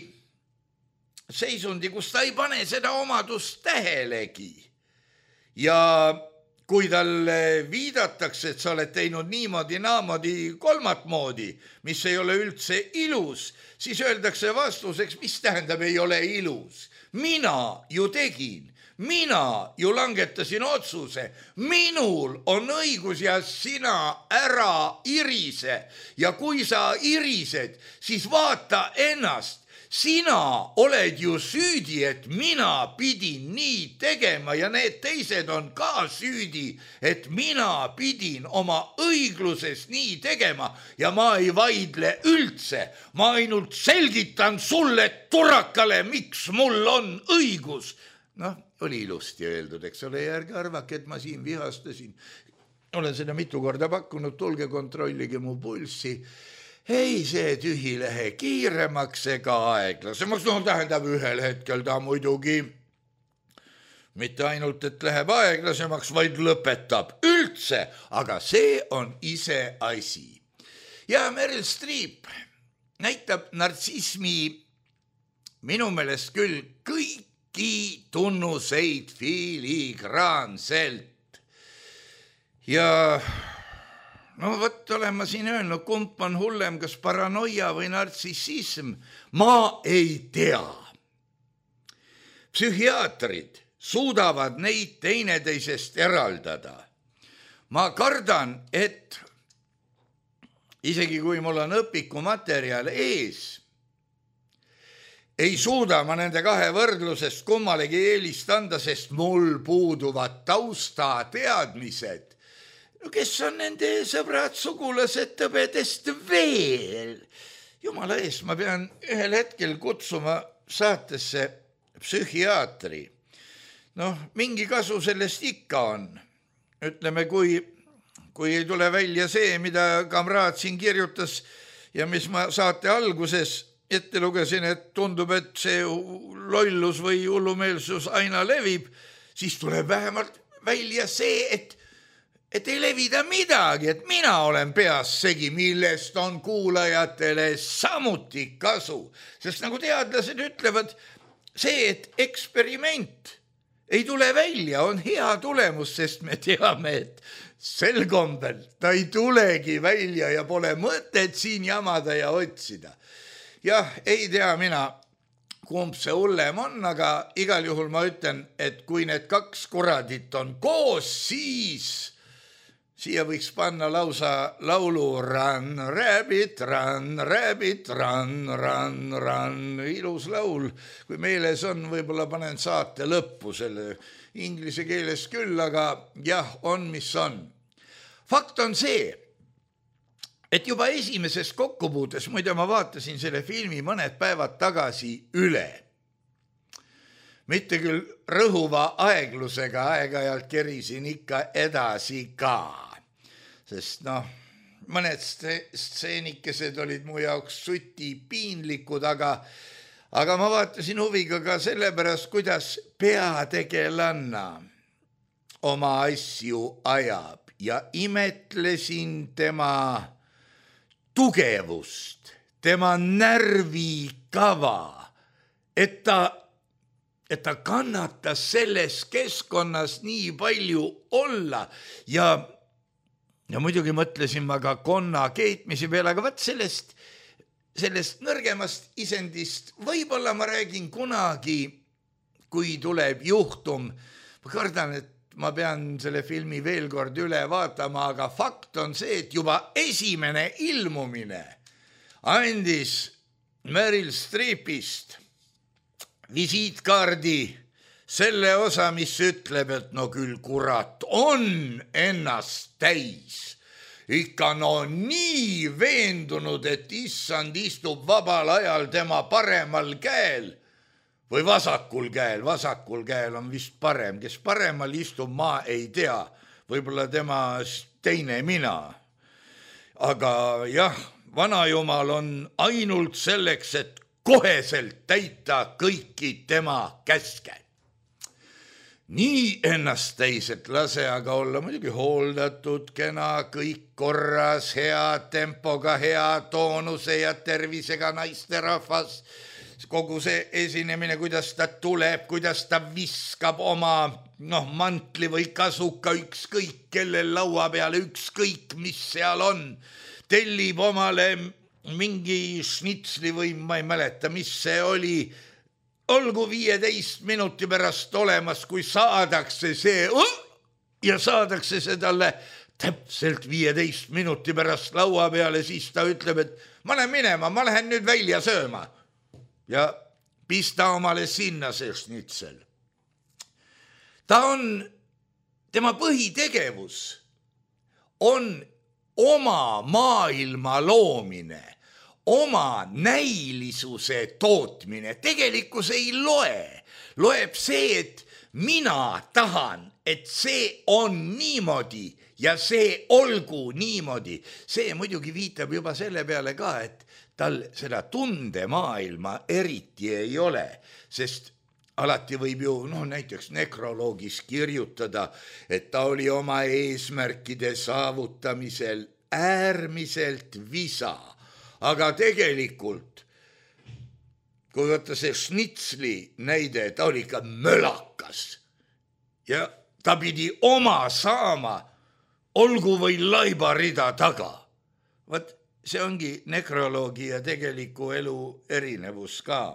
seisundi, kus ta ei pane seda omadust tähelegi. Ja kui talle viidatakse, et sa oled teinud niimoodi, naamodi, kolmat moodi, mis ei ole üldse ilus, siis öeldakse vastuseks, mis tähendab ei ole ilus. Mina ju tegin, mina ju langetasin otsuse, minul on õigus ja sina ära irise. Ja kui sa irised, siis vaata ennast. Sina oled ju süüdi, et mina pidin nii tegema ja need teised on ka süüdi, et mina pidin oma õigluses nii tegema ja ma ei vaidle üldse. Ma ainult selgitan sulle turakale, miks mul on õigus. Noh, oli ilusti öeldud, eks ole, järgi arvake, et ma siin vihastasin. Olen seda mitu korda pakkunud, tulge kontrollige mu pulssi. Ei see tühi lähe kiiremaks ega aeglasemaks, no tähendab ühel hetkel ta muidugi mitte ainult, et läheb aeglasemaks, vaid lõpetab üldse, aga see on ise asi. Ja Meryl Streep näitab nartsismi minu meelest küll kõiki tunnuseid filigraanselt. Ja no võt olen ma siin öelnud, kump on hullem, kas paranoia või nartsissism, ma ei tea. Psühhiaatrid suudavad neid teineteisest eraldada. Ma kardan, et isegi kui mul on õpikumaterjal ees, ei suuda ma nende kahe võrdlusest kummalegi eelist anda, sest mul puuduvad taustateadmised. Kes on nende sõbrad, sugulased tõbedest veel? Jumala eest, ma pean ühel hetkel kutsuma saatesse psühhiaatri. Noh, mingi kasu sellest ikka on. Ütleme, kui, kui ei tule välja see, mida kamraad siin kirjutas ja mis ma saate alguses ette lugesin, et tundub, et see lollus või hullumeelsus aina levib, siis tuleb vähemalt välja see, et, et ei levida midagi, et mina olen peas segi, millest on kuulajatele samuti kasu. Sest nagu teadlased ütlevad, see, et eksperiment ei tule välja, on hea tulemus, sest me teame, et sel kombel ta ei tulegi välja ja pole mõtet siin jamada ja otsida. Jah, ei tea mina, kumb see hullem on, aga igal juhul ma ütlen, et kui need kaks kuradit on koos, siis siia võiks panna lausa laulu Run, rabbit, run, rabbit, run, run, run. Ilus laul, kui meeles on, võib-olla panen saate lõppu selle inglise keeles küll, aga jah, on mis on. Fakt on see, et juba esimeses kokkupuutes, muide ma vaatasin selle filmi mõned päevad tagasi üle. Mitte küll rõhuva aeglusega, aeg-ajalt kerisin ikka edasi ka. Sest noh, mõned stseenikesed olid mu jaoks suti piinlikud, aga, aga ma vaatasin huviga ka sellepärast, kuidas peategelanna oma asju ajab ja imetlesin tema tugevust, tema närvikava, et ta, et ta kannatas selles keskkonnas nii palju olla ja Ja muidugi mõtlesin ma ka konna keetmisi peale, aga võt sellest, sellest nõrgemast isendist võib-olla ma räägin kunagi, kui tuleb juhtum. Ma kardan, et ma pean selle filmi veel kord üle vaatama, aga fakt on see, et juba esimene ilmumine andis Meryl Streepist visiitkaardi selle osa, mis ütleb, et no küll kurat on ennast täis. Ikka no nii veendunud, et issand istub vabal ajal tema paremal käel või vasakul käel. Vasakul käel on vist parem, kes paremal istub, ma ei tea. Võib-olla tema teine mina. Aga jah, vanajumal on ainult selleks, et koheselt täita kõiki tema käske. Nii ennast täis, et lase aga olla muidugi hooldatud, kena, kõik korras, hea tempoga, hea toonuse ja tervisega naisterahvas. Kogu see esinemine, kuidas ta tuleb, kuidas ta viskab oma noh, mantli või kasuka ükskõik, kellel laua peale ükskõik, mis seal on. Tellib omale mingi šnitsli või ma ei mäleta, mis see oli. Olgu viieteist minuti pärast olemas, kui saadakse see ja saadakse see talle täpselt viieteist minuti pärast laua peale, siis ta ütleb, et ma lähen minema, ma lähen nüüd välja sööma. Ja pista omale sinna see šnitsel. Ta on, tema põhitegevus on oma maailma loomine. Oma näilisuse tootmine tegelikkus ei loe. Loeb see, et mina tahan, et see on niimoodi ja see olgu niimoodi. See muidugi viitab juba selle peale ka, et tal seda tundemaailma eriti ei ole, sest alati võib ju no, näiteks nekroloogis kirjutada, et ta oli oma eesmärkide saavutamisel äärmiselt visa. Aga tegelikult, kui võtta see šnitsli näide, ta oli ikka mölakas ja ta pidi oma saama, olgu või laibarida taga. Võt, see ongi nekroloogi ja tegeliku elu erinevus ka.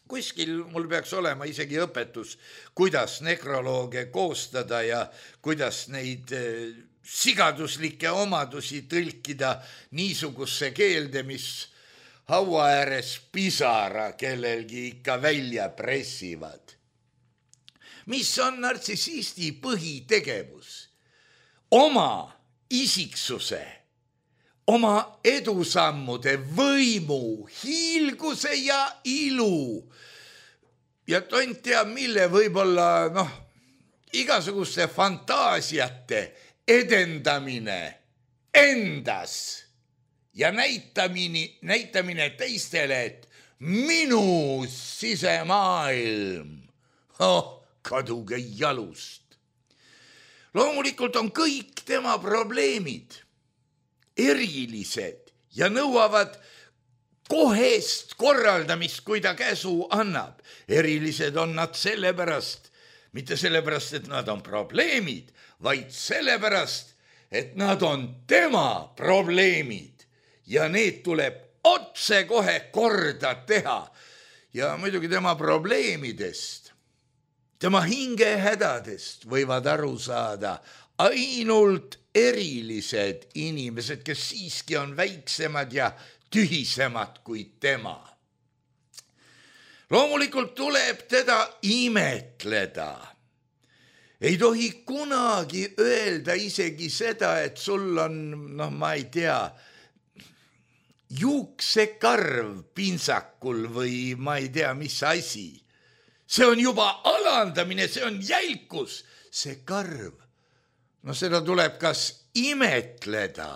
Kuskil mul peaks olema isegi õpetus, kuidas nekrolooge koostada ja kuidas neid sigaduslikke omadusi tõlkida niisugusse keelde, mis haua ääres pisara kellelgi ikka välja pressivad. Mis on nartsissisti põhitegevus? Oma isiksuse, oma edusammude, võimu, hiilguse ja ilu. Ja tont teab mille võib-olla noh, igasuguste fantaasiate edendamine endas ja näitamine, näitamine teistele, et minu sisemaailm, oh, kaduge jalust. Loomulikult on kõik tema probleemid erilised ja nõuavad kohest korraldamist, kui ta käsu annab. Erilised on nad sellepärast, mitte sellepärast, et nad on probleemid, vaid sellepärast, et nad on tema probleemid ja need tuleb otse kohe korda teha. Ja muidugi tema probleemidest, tema hingehädadest võivad aru saada ainult erilised inimesed, kes siiski on väiksemad ja tühisemad kui tema. Loomulikult tuleb teda imetleda. Ei tohi kunagi öelda isegi seda, et sul on, noh, ma ei tea, juuksekarv pintsakul või ma ei tea, mis asi. See on juba alandamine, see on jälkus, see karv. No seda tuleb kas imetleda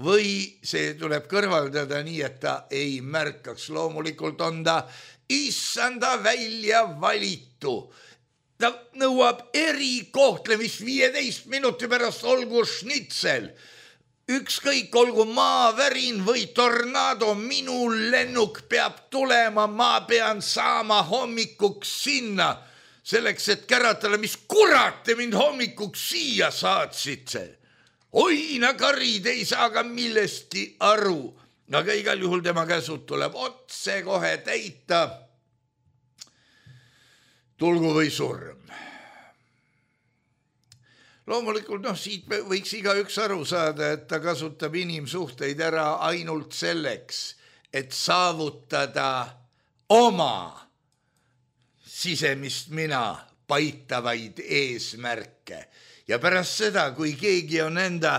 või see tuleb kõrvaldada nii, et ta ei märkaks. Loomulikult on ta issanda välja valitu. Ta nõuab erikohtlemist viieteist minuti pärast, olgu šnitsel. Ükskõik, olgu maavärin või tornado, minu lennuk peab tulema, ma pean saama hommikuks sinna, selleks, et käratada, mis kurat te mind hommikuks siia saatsite. Oina karid ei saa ka millestki aru, aga igal juhul tema käsud tuleb otse kohe täita. Tulgu või surm. Loomulikult, noh, siit võiks igaüks aru saada, et ta kasutab inimsuhteid ära ainult selleks, et saavutada oma sisemist mina paitavaid eesmärke. Ja pärast seda, kui keegi on enda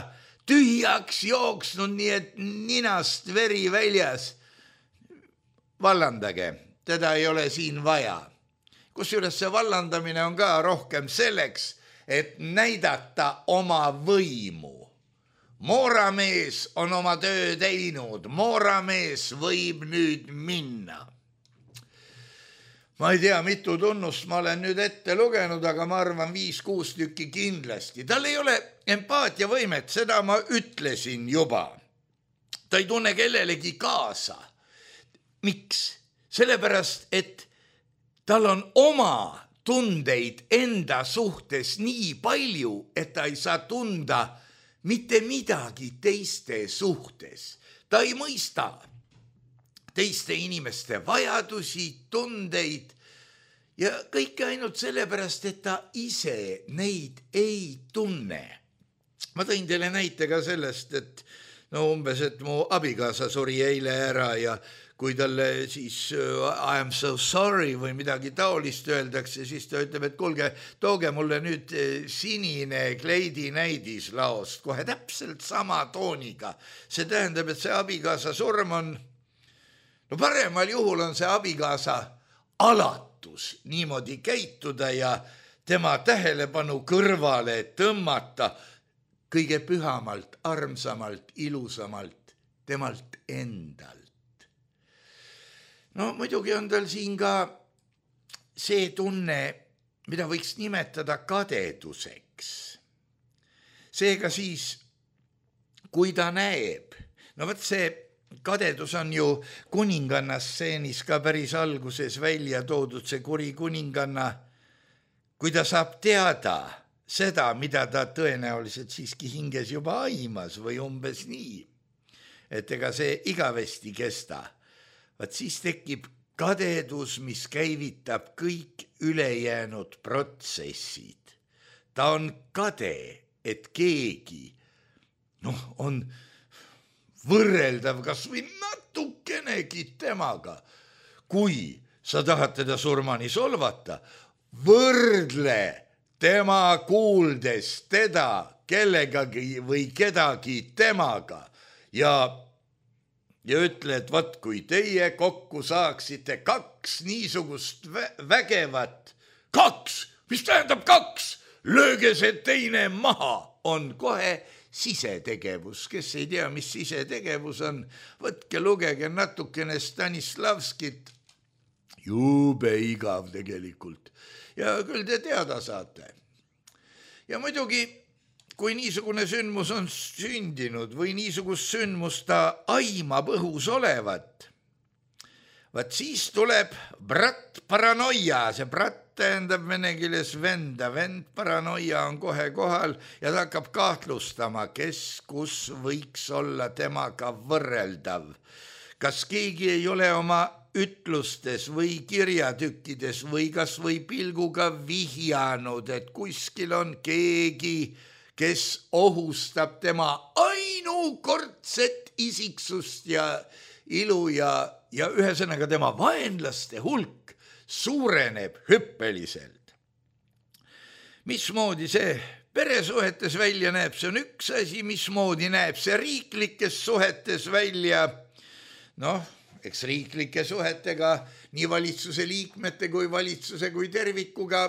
tühjaks jooksnud, nii et ninast veri väljas, vallandage, teda ei ole siin vaja. Kusjuures see vallandamine on ka rohkem selleks, et näidata oma võimu. Mooramees on oma töö teinud, mooramees võib nüüd minna. Ma ei tea, mitu tunnust ma olen nüüd ette lugenud, aga ma arvan viis-kuus tükki kindlasti. Tal ei ole empaatiavõimet, seda ma ütlesin juba. Ta ei tunne kellelegi kaasa. Miks? Sellepärast, et tal on oma tundeid enda suhtes nii palju, et ta ei saa tunda mitte midagi teiste suhtes. Ta ei mõista teiste inimeste vajadusi, tundeid ja kõike ainult sellepärast, et ta ise neid ei tunne. Ma tõin teile näite ka sellest, et no umbes, et mu abikaasa suri eile ära ja kui talle siis I am so sorry või midagi taolist öeldakse, siis ta ütleb, et kuulge, tooge mulle nüüd sinine kleidinäidis laost, kohe täpselt sama tooniga. See tähendab, et see abikaasa surm on, no paremal juhul on see abikaasa alatus niimoodi käituda ja tema tähelepanu kõrvale tõmmata kõige pühamalt, armsamalt, ilusamalt, temalt endalt. No muidugi on tal siin ka see tunne, mida võiks nimetada kadeduseks. Seega siis, kui ta näeb, no võt see kadedus on ju kuninganna stseenis ka päris alguses välja toodud, see kuri kuninganna, kui ta saab teada seda, mida ta tõenäoliselt siiski hinges juba aimas või umbes nii, et ega see igavesti kesta. Vaat siis tekib kadedus, mis käivitab kõik ülejäänud protsessid. Ta on kade, et keegi noh, on võrreldav kas või natukenegi temaga. Kui sa tahad teda surmani solvata, võrdle tema kuuldes teda kellegagi või kedagi temaga ja Ja ütle, et vat kui teie kokku saaksite kaks niisugust vägevat, kaks, mis tähendab kaks, lööge see teine maha, on kohe sisetegevus. Kes ei tea, mis sisetegevus on, võtke, lugege natukene Stanislavskit. Jube igav tegelikult. Ja küll te teada saate. Ja muidugi, kui niisugune sündmus on sündinud või niisugust sündmus ta aimab õhus olevat, vaat siis tuleb brat paranoia, see brat tähendab vene keeles venda, vend paranoia on kohe kohal ja ta hakkab kahtlustama, kes kus võiks olla temaga võrreldav. Kas keegi ei ole oma ütlustes või kirjatükkides või kas või pilguga vihjanud, et kuskil on keegi, kes ohustab tema ainukordset isiksust ja ilu ja, ja ühesõnaga tema vaenlaste hulk suureneb hüppeliselt. Mismoodi see peresuhetes välja näeb, see on üks asi, mismoodi näeb see riiklikes suhetes välja. Noh, eks riiklike suhetega nii valitsuse liikmete kui valitsuse kui tervikuga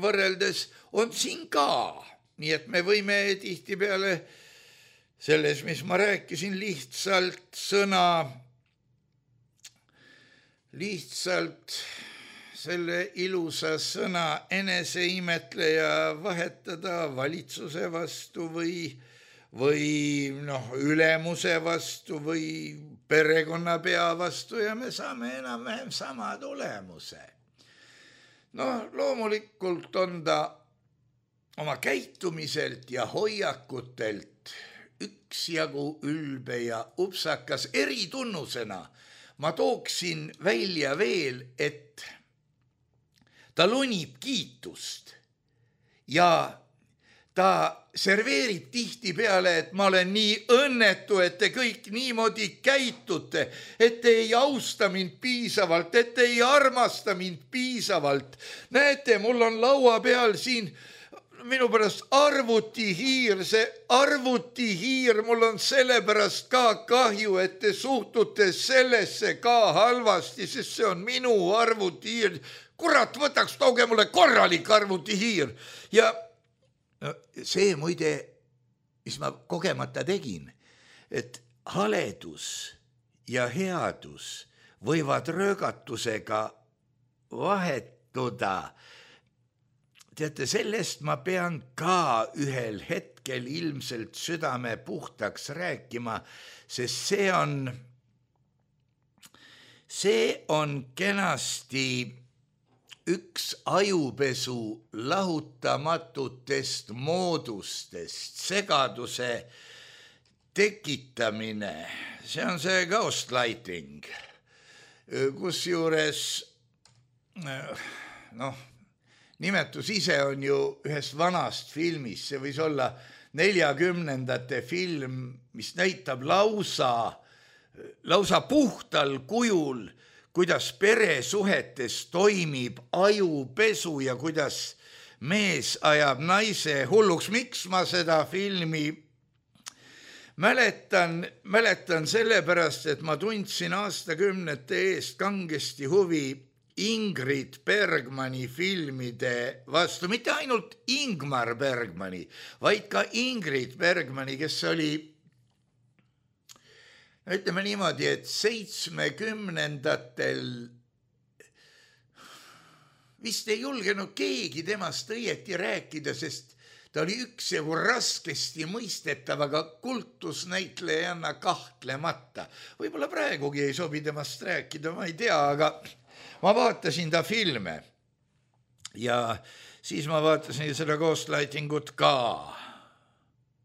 võrreldes on siin ka. Nii et me võime tihtipeale selles, mis ma rääkisin, lihtsalt sõna, lihtsalt selle ilusa sõna eneseimetleja vahetada valitsuse vastu või, või noh, ülemuse vastu või perekonnapea vastu ja me saame enam-vähem sama tulemuse. No loomulikult on ta oma käitumiselt ja hoiakutelt üksjagu ülbe ja upsakas eritunnusena. Ma tooksin välja veel, et ta lonib kiitust ja ta serveerib tihti peale, et ma olen nii õnnetu, et te kõik niimoodi käitute, et te ei austa mind piisavalt, et te ei armasta mind piisavalt. Näete, mul on laua peal siin minu pärast arvutihiir, see arvutihiir, mul on sellepärast ka kahju, et te suhtute sellesse ka halvasti, sest see on minu arvutihiir. Kurat, võtaks tooge mulle korralik arvutihiir. Ja no, see muide, mis ma kogemata tegin, et haledus ja headus võivad röögatusega vahetuda. Teate, sellest ma pean ka ühel hetkel ilmselt südame puhtaks rääkima, sest see on, see on kenasti üks ajupesu lahutamatutest moodustest, segaduse tekitamine. See on see ghostlighting, kus juures, noh, nimetus ise on ju ühest vanast filmist, see võis olla neljakümnendate film, mis näitab lausa, lausa puhtal kujul, kuidas peresuhetes toimib ajupesu ja kuidas mees ajab naise hulluks. Miks ma seda filmi mäletan? Mäletan sellepärast, et ma tundsin aastakümnete eest kangesti huvi Ingrid Bergmani filmide vastu, mitte ainult Ingmar Bergmani, vaid ka Ingrid Bergmani, kes oli, ütleme niimoodi, et seitsmekümnendatel vist ei julgenud keegi temast õieti rääkida, sest ta oli üksjagu raskesti mõistetav, aga kultusnäitlejanna kahtlemata. Võib-olla praegugi ei sobi temast rääkida, ma ei tea, aga ma vaatasin ta filme ja siis ma vaatasin seda ghostlightingut ka.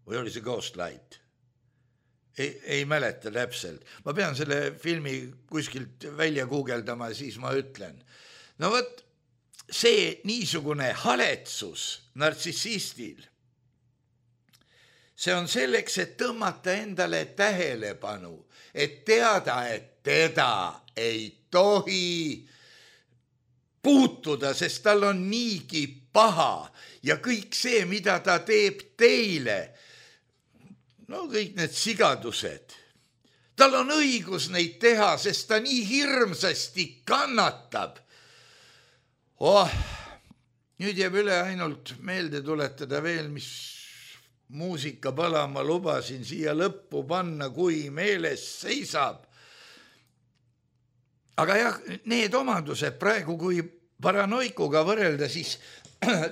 Või oli see ghostlight? Ei, ei mäleta täpselt. Ma pean selle filmi kuskilt välja guugeldama, siis ma ütlen. No võt, see niisugune haletsus nartsissistil, see on selleks, et tõmmata endale tähelepanu, et teada, et teda ei tohi puutuda, sest tal on niigi paha ja kõik see, mida ta teeb teile, no kõik need sigadused, tal on õigus neid teha, sest ta nii hirmsasti kannatab. Oh, nüüd jääb üle ainult meelde tuletada veel, mis muusika palama lubasin siia lõppu panna, kui meeles seisab. Aga jah, need omadused praegu, kui paranoikuga võrrelda, siis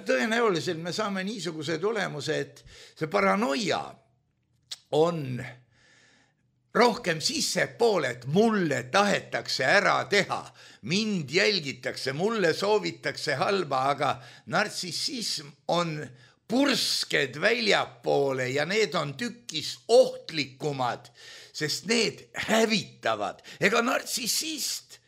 tõenäoliselt me saame niisuguse tulemuse, et see paranoia on rohkem sissepoole, et mulle tahetakse ära teha, mind jälgitakse, mulle soovitakse halba, aga nartsissism on pursked väljapoole ja need on tükis ohtlikumad, sest need hävitavad. Ega nartsissist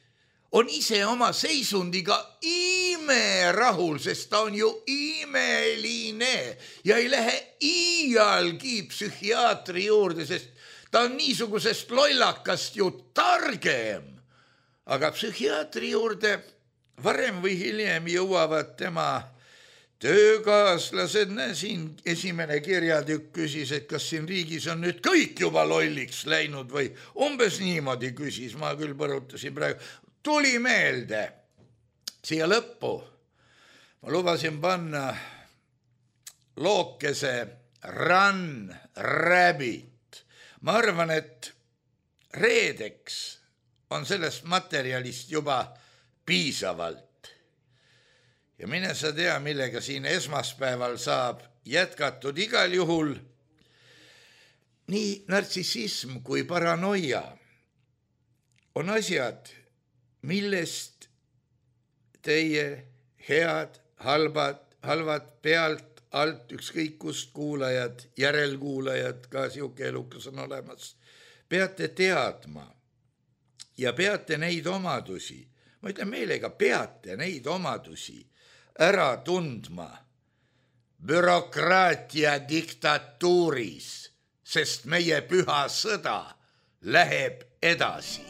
on ise oma seisundiga ime rahul, sest ta on ju imeline ja ei lähe iialgi psühhiaatri juurde, sest ta on niisugusest lollakast ju targem. Aga psühhiaatri juurde varem või hiljem jõuavad tema töökaaslased. Siin esimene kirjatükk küsis, et kas siin riigis on nüüd kõik juba lolliks läinud või umbes niimoodi küsis. Ma küll põrutasin praegu. Tuli meelde siia lõppu. Ma lubasin panna lookese Run Rabbit. Ma arvan, et reedeks on sellest materjalist juba piisavalt. Ja mine sa tea, millega siin esmaspäeval saab jätkatud igal juhul. Nii nartsissism kui paranoia on asjad, millest teie head, halbad, halvad pealt, alt, ükskõik kust kuulajad, järelkuulajad, ka siuke elukas on olemas, peate teadma ja peate neid omadusi, ma ütlen meelega, peate neid omadusi ära tundma bürokraatia diktatuuris, sest meie püha sõda läheb edasi.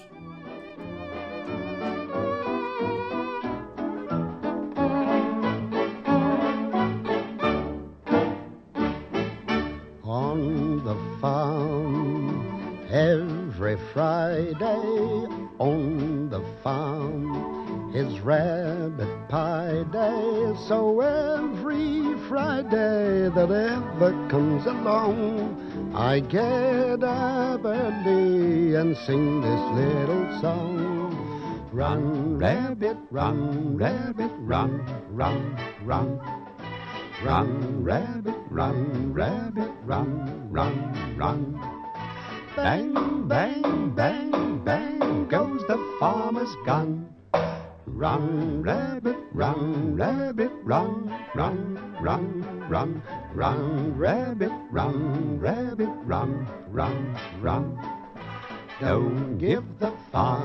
On the farm, every Friday on the farm is rabbit pie day. So every Friday that ever comes along, I get up early and sing this little song. Run, rabbit, run, rabbit, run, run, run. Run, rabbit, run, rabbit, run, run, run. Bang, bang, bang, bang goes the farmer's gun. Run, rabbit, run, rabbit, run, run, run, run. Run, rabbit, run, rabbit, run, run, run. Don't give the farmer